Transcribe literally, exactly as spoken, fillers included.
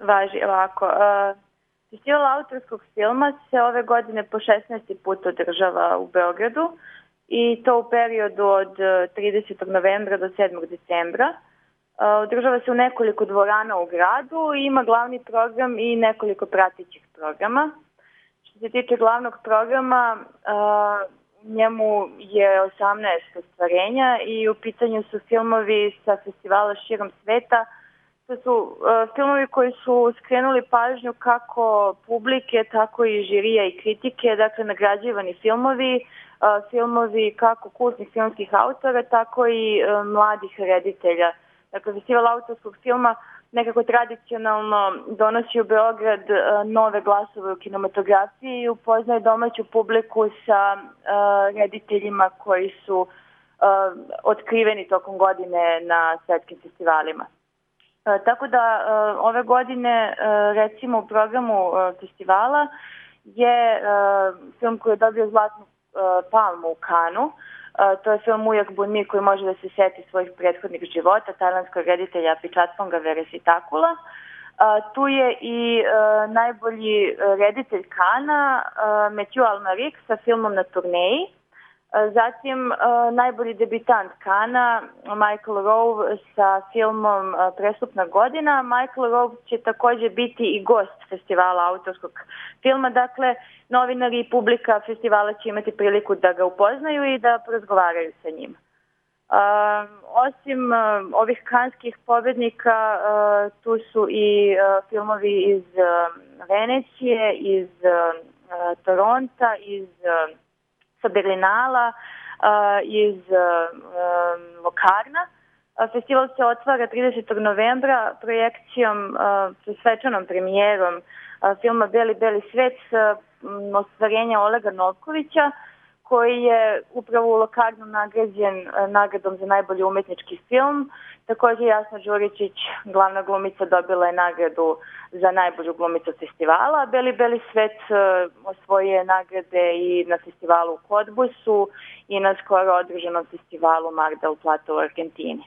važi ovako. Uh, Festival autorskog filma se ove godine po šesnaesti put održava u Beogradu i to u periodu od tridesetog novembra do sedmog decembra. Uh, održava se u nekoliko dvorana u gradu i ima glavni program i nekoliko pratećih programa. Što se tiče glavnog programa, uh, njemu je osamnaest ostvarenja i u pitanju su filmovi sa festivala širom sveta. To su uh, filmovi koji su skrenuli pažnju kako publike, tako i žirija i kritike, dakle nagrađivani filmovi, uh, filmovi kako kultnih filmskih autora, tako i uh, mladih reditelja. Dakle, festival autorskog filma nekako tradicionalno donosi u Beograd uh, nove glasove u kinematografiji i upoznaje domaću publiku sa uh, rediteljima koji su uh, otkriveni tokom godine na svetskim festivalima. Uh, tako da uh, ove godine uh, recimo u programu uh, festivala je uh, film koji je dobio zlatnu uh, palmu u Kanu. Uh, to je film Ujak Bunmi koji može da se seti svojih prethodnih života, tajlandskog reditelja Pičatponga Veresitakula. Uh, tu je i uh, najbolji reditelj Kana, uh, Matthew Almarik sa filmom Na turneji. Uh, zatim uh, najbolji debitant Kana, Michael Rowe sa filmom uh, Prestupna godina. Michael Rowe će takođe biti i gost festivala autorskog filma, dakle novinari i publika festivala će imati priliku da ga upoznaju i da porazgovaraju sa njim. Uh, osim uh, ovih kanskih pobednika, uh, tu su i uh, filmovi iz uh, Venecije, iz uh, Toronta, iz uh, sa Berlinala, uh, iz uh, Lokarna. Uh, festival se otvara tridesetog novembra projekcijom, uh, svečanom premijerom uh, filma Beli, beli svet s um, ostvarenja Olega Novkovića, koji je upravo u Lokarnu nagrađen uh, nagradom za najbolji umetnički film. Također Jasna Đuričić, glavna glumica, dobila je nagradu za najbolju glumicu festivala. Beli, beli svet uh, osvojuje nagrade i na festivalu u Kodbusu i na skoro održanom festivalu Mar del Plata u Argentini.